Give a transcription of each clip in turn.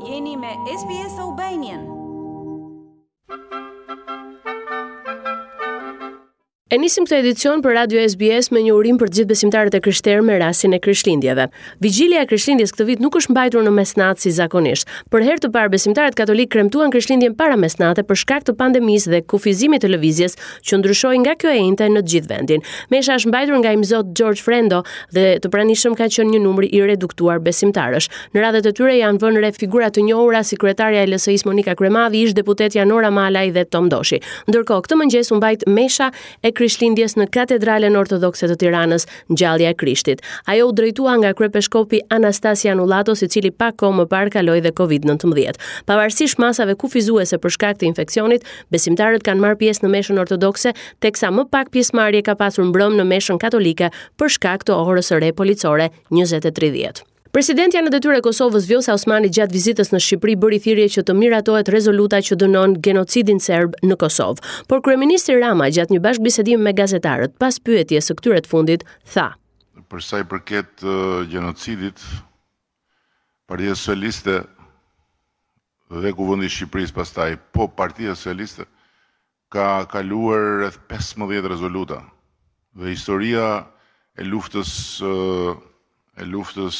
Jeni me SBS Albanian. E nisim këtë edicion për Radio SBS me një urim për të gjithë besimtarët e krishterë me rastin e Krishtlindjeve. Vigjilja e Krishtlindjes këtë vit nuk është mbajtur në mesnatë si zakonisht. Për herë të parë besimtarët katolikë kremtuan Krishtlindjen para mesnate për shkak të pandemisë dhe kufizimit të lëvizjes që ndryshoi nga kjo e enjte në të gjithë vendin. Mesha është mbajtur nga Imzot George Frendo dhe të pranishëm ka qenë një numër i reduktuar besimtarësh. Në radhët e tyre janë vënë re figura të njohura si kryetarja e LSI-së Monika Kryemadhi, ish-deputetja Nora Malaj dhe Tom Doshi. Ndërkohë, këtë mëngjes u mbajt mesha e Krishtlindjes në Katedralen Ortodokse të Tiranës, Ngjallja e Krishtit. Ajo u drejtua nga kryepeshkopi Anastas Janullatos, i cili pak kohë më parë kaloi dhe Covid-19. Pavarësisht masave kufizuese për shkak të infeksionit, besimtarët kanë marrë pjesë në meshën ortodokse, teksa më pak pjesëmarrje ka pasur mbrëmë në meshën katolike për shkak të orës së re policore 20:30. Presidentja në detyrë e Kosovës Vjosa Osmani gjatë vizitës në Shqipëri bëri thirrje që të miratohet rezoluta që dënon genocidin serb në Kosovë. Por kryeministri Rama gjatë një bashkëbisedimi me gazetarët pas pyetjes së këtyre të fundit tha: Për sa i përket genocidit, Partia Socialiste dhe Kuvendi i Shqipërisë pastaj, po Partia Socialiste ka kaluar rreth 15 rezoluta dhe historia e luftës e luftës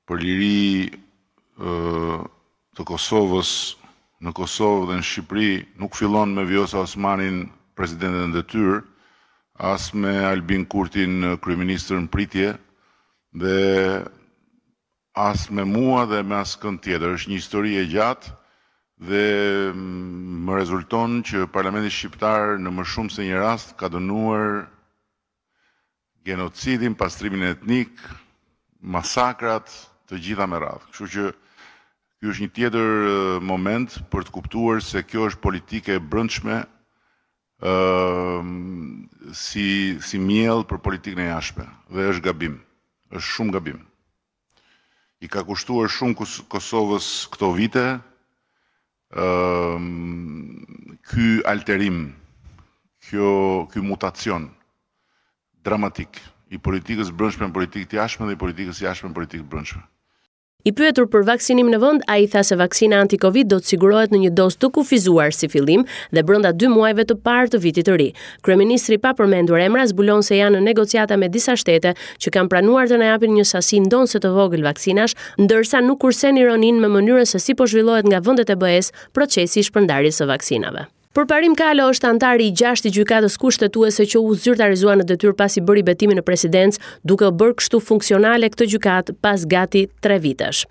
për liri të Kosovës në Kosovë dhe në Shqipëri nuk fillon me Vjosa Osmanin presidente në detyrë, as me Albin Kurtin kryeministër në pritje dhe As me mua dhe me askënd tjetër. Është një histori e gjatë dhe më rezulton që Parlamenti shqiptar në më shumë se një rast ka dënuar genocidin, pastrimin etnik, masakrat, të gjitha me radhë. Kështu që ky është një tjetër moment për të kuptuar se kjo është politikë e brendshme si si miell për politikën e jashtme dhe është gabim. Është shumë gabim. I ka kushtuar shumë Kosovës këto vite ky alterim, kjo ky mutacion dramatik i politikës brendshme në politikë të jashtme dhe i politikës jashtme në politikë të brendshme. I pyetur për vaksinim në vend, ai tha se vaksina anti-Covid do të sigurohet në një dozë të kufizuar si fillim dhe brenda dy muajve të parë të vitit të ri. Kryeministri pa përmendur emra zbulon se janë në negociata me disa shtete që kanë pranuar të na japin një sasi ndonëse të vogël vaksinash, ndërsa nuk kursen ironinë me mënyrën se si po zhvillohet nga vendet e BE-së procesi i shpërndarjes së vaksinave. Përparim Kalo është anëtari i gjashtë i Gjykatës Kushtetuese që u zyrtarizua në detyrë pasi bëri betimin në presidencë, duke u bërë kështu funksionale këtë gjykatë pas gati 3 vitesh.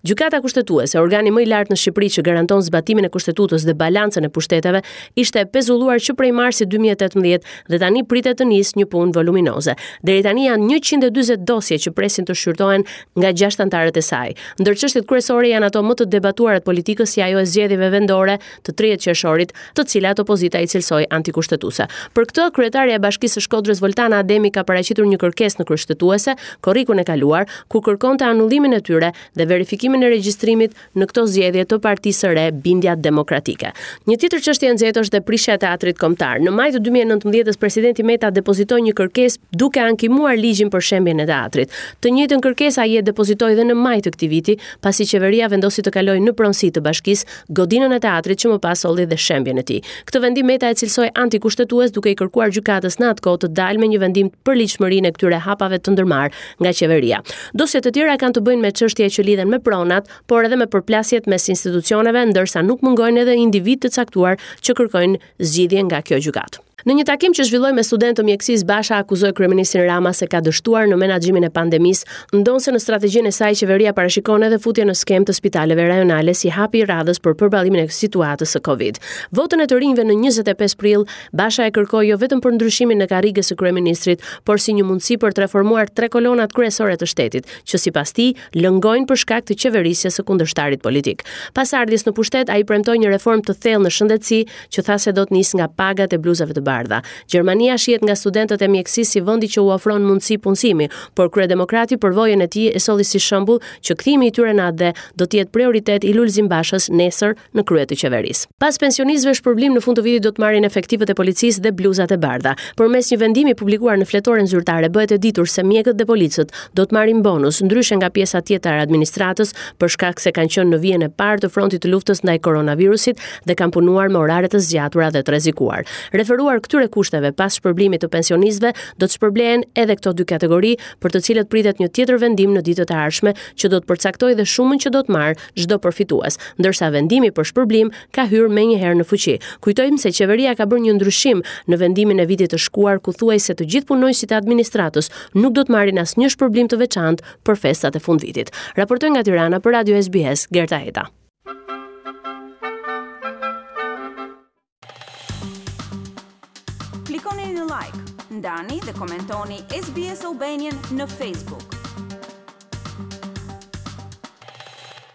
Gjykata Kushtetuese, organi më i lartë në Shqipëri që garanton zbatimin e Kushtetutës dhe balancën e pushteteve, ishte e pezulluar që prej marsit 2018 dhe tani pritet të nisë një punë voluminoze. Deri tani janë 140 dosje që presin të shqyrtohen nga gjashtë anëtarët e saj. Ndër çështjet kryesore janë ato më të debatuara të politikës si ajo e zgjedhjeve vendore të 30 qershorit, të cilat opozita i cilësoi antikushtetuese. Për këtë, kryetarja e Bashkisë së Shkodrës Voltana Ademi ka paraqitur një kërkesë në Kushtetuese korrikun e kaluar, ku kërkonte anullimin e tyre dhe verifikimin e regjistrimit në këto zgjedhje të partisë së re Bindja Demokratike. Një tjetër çështje e nxehtë është dhe prishja e Teatrit Kombëtar. Në maj të 2019-s presidenti Meta depozitoi një kërkesë duke ankimuar ligjin për shembjen e teatrit. Të njëjtën kërkesë ai e depozitoi dhe në maj të këtij viti, pasi qeveria vendosi të kalojë në pronësi të bashkisë godinën e teatrit që më pas solli dhe shembjen e tij. Këtë vendim Meta e cilësoi antikushtetues duke i kërkuar gjykatës në atë kohë të dalë me një vendim për ligjshmërinë e këtyre hapave të ndërmarrë nga qeveria. Dosje të tjera kanë të bëjnë me çështje që lidhen me pronat, por edhe me përplasjet mes institucioneve, ndërsa nuk mungojnë edhe individë të caktuar që kërkojnë zgjidhje nga kjo gjykatë. Në një takim që zhvilloi me studentë të mjekësisë, Basha akuzoi kryeministrin Rama se ka dështuar në menaxhimin e pandemisë, ndonëse në strategjinë e saj qeveria parashikon edhe futjen në skemë të spitaleve rajonale si hapi i radhës për përballimin e situatës së Covid. Votën e të rinjve në 25 prill, Basha e kërkoi jo vetëm për ndryshimin e karriges së kryeministrit, por si një mundësi për të reformuar tre kolonat kryesore të shtetit, që sipas tij lëngojnë për shkak të qeverisjes së kundërshtarit politik. Pas ardhjes në pushtet, ai premtoi një reformë të thellë në shëndetësi, që tha se do të nisë nga pagat e bluzave të bardha. bardha. Gjermania shihet nga studentët e mjekësisë si vendi që u ofron mundësi punësimi, por kryedemokrati përvojën e tij e solli si shembull që kthimi i tyre në atdhe do të jetë prioritet i Lulzim Bashës nesër në krye të qeverisë. Pas pensionistëve shpërblim në fund të vitit do të marrin efektivët e policisë dhe bluzat e bardha. Përmes një vendimi publikuar në fletoren zyrtare bëhet e ditur se mjekët dhe policët do të marrin bonus, ndryshe nga pjesa tjetër e administratës, për shkak se kanë qenë në vijën e parë të frontit të luftës ndaj koronavirusit dhe kanë punuar me orare të zgjatura dhe të rrezikuar. Referuar këtyre kushteve, pas shpërblimit të pensionistëve, do të shpërblehen edhe këto dy kategori, për të cilët pritet një tjetër vendim në ditët e ardhshme që do të përcaktojë dhe shumën që do të marrë çdo përfitues, ndërsa vendimi për shpërblim ka hyrë menjëherë në fuqi. Kujtojmë se qeveria ka bërë një ndryshim në vendimin e vitit të shkuar ku thuhej se të gjithë punonjësit e administratës nuk do të marrin asnjë shpërblim të veçantë për festat e fundvitit. Raportoi nga Tirana për Radio SBS, Gerta Heta. Klikoni në like, ndani dhe komentoni SBS Albanian në Facebook.